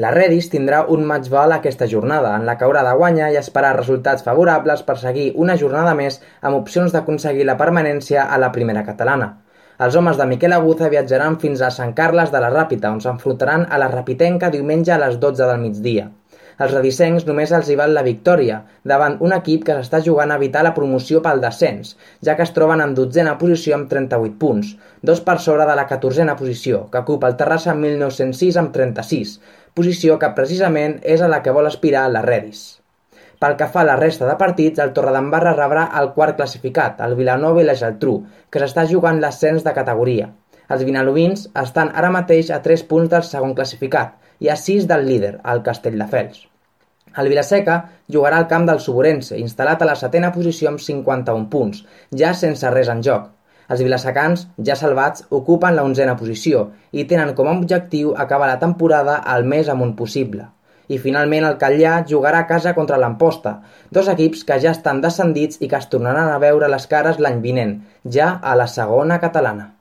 La Redis tindrà un match-ball aquesta jornada, en la que haurà de guanyar i esperar resultats favorables per seguir una jornada més amb opcions d'aconseguir la permanència a la primera catalana. Els homes de Miquel Aguza viatjaran fins a Sant Carles de la Ràpita, on s'enfrontaran a la Rapitenca diumenge a les 12 del migdia. Els redisencs només els hi val la victòria, davant un equip que s'està jugant a evitar la promoció pel descens, ja que es troben en 12a posició amb 38 punts, 2 per sobre de la 14a posició, que ocupa el Terrassa 1906 amb 36, posició que precisament és a la que vol aspirar la Redis. Pel que fa a la resta de partits, el Torredembarra rebrà el quart classificat, el Vilanova i la Geltrú, que s'està jugant l'ascens de categoria. Els vilanovins estan ara mateix a 3 punts del segon classificat i a 6 del líder, el Castelldefels. El Vilaseca jugarà al camp del Suburense, instal·lat a la 7a posició amb 51 punts, ja sense res en joc. Els vilasecans, ja salvats, ocupen la 11a posició i tenen com a objectiu acabar la temporada el més amunt possible. I finalment el Catllà jugarà a casa contra l'Amposta, dos equips que ja estan descendits i que es tornaran a veure les cares l'any vinent, ja a la segona catalana.